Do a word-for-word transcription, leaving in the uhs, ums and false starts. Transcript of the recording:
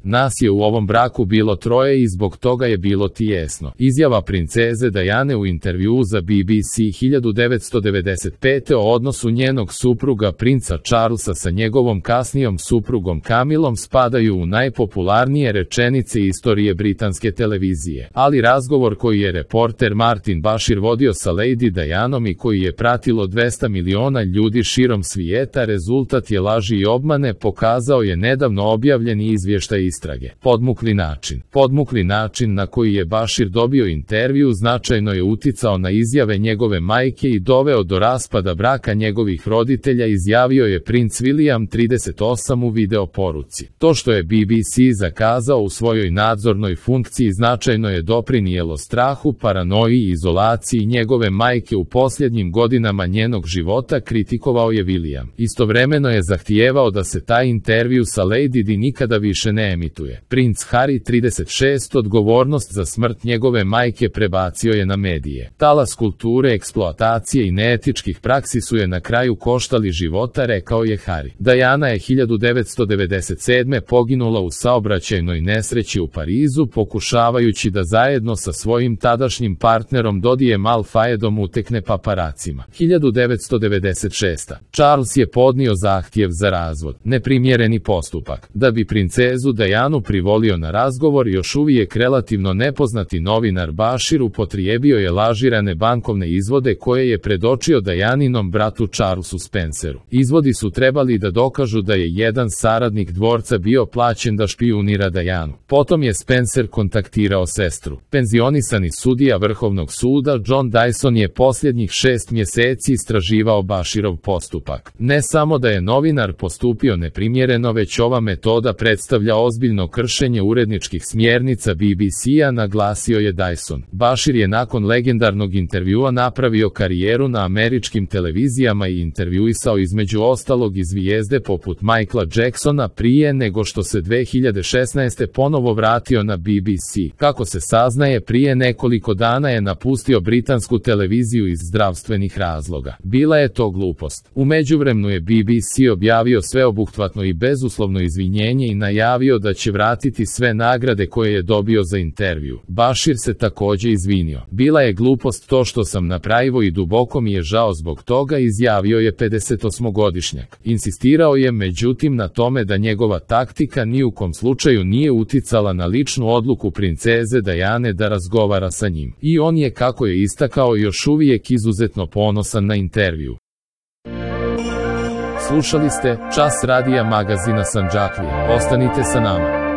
Nas je u ovom braku bilo troje i zbog toga je bilo tijesno. Izjava princeze Diane u intervjuu za B B C hiljadu devetsto devedeset pete o odnosu njenog supruga princa Charlesa sa njegovom kasnijom suprugom Camillom spadaju u najpopularnije rečenice istorije britanske televizije. Ali razgovor koji je reporter Martin Bashir vodio sa Lady Dianom i koji je pratilo dvesta miliona ljudi širom svijeta rezultat je laži i obmane, pokazao je nedavno objavljeni izvještaj istrage. Podmukli način. Podmukli način na koji je Bashir dobio intervju značajno je uticao na izjave njegove majke i doveo do raspada braka njegovih roditelja, izjavio je princ William trideset osam u video poruci. To što je B B C zakazao u svojoj nadzornoj funkciji značajno je doprinijelo strahu, paranoji i izolaciji njegove majke u posljednjim godinama njenog života, kritikovao je William. Istovremeno je zahtijevao da se taj intervju sa Lady Di nikada više ne emituje. Princ Harry trideset šest odgovornost za smrt njegove majke prebacio je na medije. Talas kulture, eksploatacije i neetičkih praksi su je na kraju koštali života, rekao je Harry. Diana je hiljadu devetsto devedeset sedme poginula u saobraćajnoj nesreći u Parizu pokušavajući da zajedno sa svojim tadašnjim partnerom Dodijem Al-Fayedom utekne paparacima. hiljadu devetsto devedeset šeste. Charles je podnio zahtjev za razvod. Neprimjereni postupak. Da bi princezu Dianu privolio na razgovor, još uvijek relativno nepoznati novinar Bashir upotrijebio je lažirane bankovne izvode koje je predočio Dianinom bratu Charlesu Spenceru. Izvodi su trebali da dokažu da je jedan saradnik dvorca bio plaćen da špijunira Dianu. Potom je Spencer kontaktirao sestru. Penzionisani sudija Vrhovnog suda John Dyson je posljednjih šest mjeseci istraživao Bashirov postupak. Ne samo da je novinar postupio neprimjereno, već ova metoda predstavlja ozbiljno kršenje uredničkih smjernica B B C-a, naglasio je Dyson. Bashir je nakon legendarnog intervjua napravio karijeru na američkim televizijama i intervjuisao između ostalog i zvijezde poput Michaela Jacksona prije nego što se dve hiljade šesnaeste ponovo vratio na B B C. Kako se saznaje, prije nekoliko dana je napustio britansku televiziju iz zdravstvenih razloga. Bila je to glupost. U međuvremenu je B B C objavio sveobuhvatno i bezuslovno izvinjenje i najavio da će vratiti sve nagrade koje je dobio za intervju. Bashir se također izvinio. Bila je glupost to što sam napravio i duboko mi je žao zbog toga, izjavio je pedesetosmogodišnjak. Insistirao je međutim na tome da njegova taktika ni u kom slučaju nije uticala na ličnu odluku princeze Diane da razgovara sa njim. I on je, kako je istakao, još uvijek izuzetno ponosan na intervju. Slušali ste Čas radija magazina Sandžaklije. Ostanite sa nama.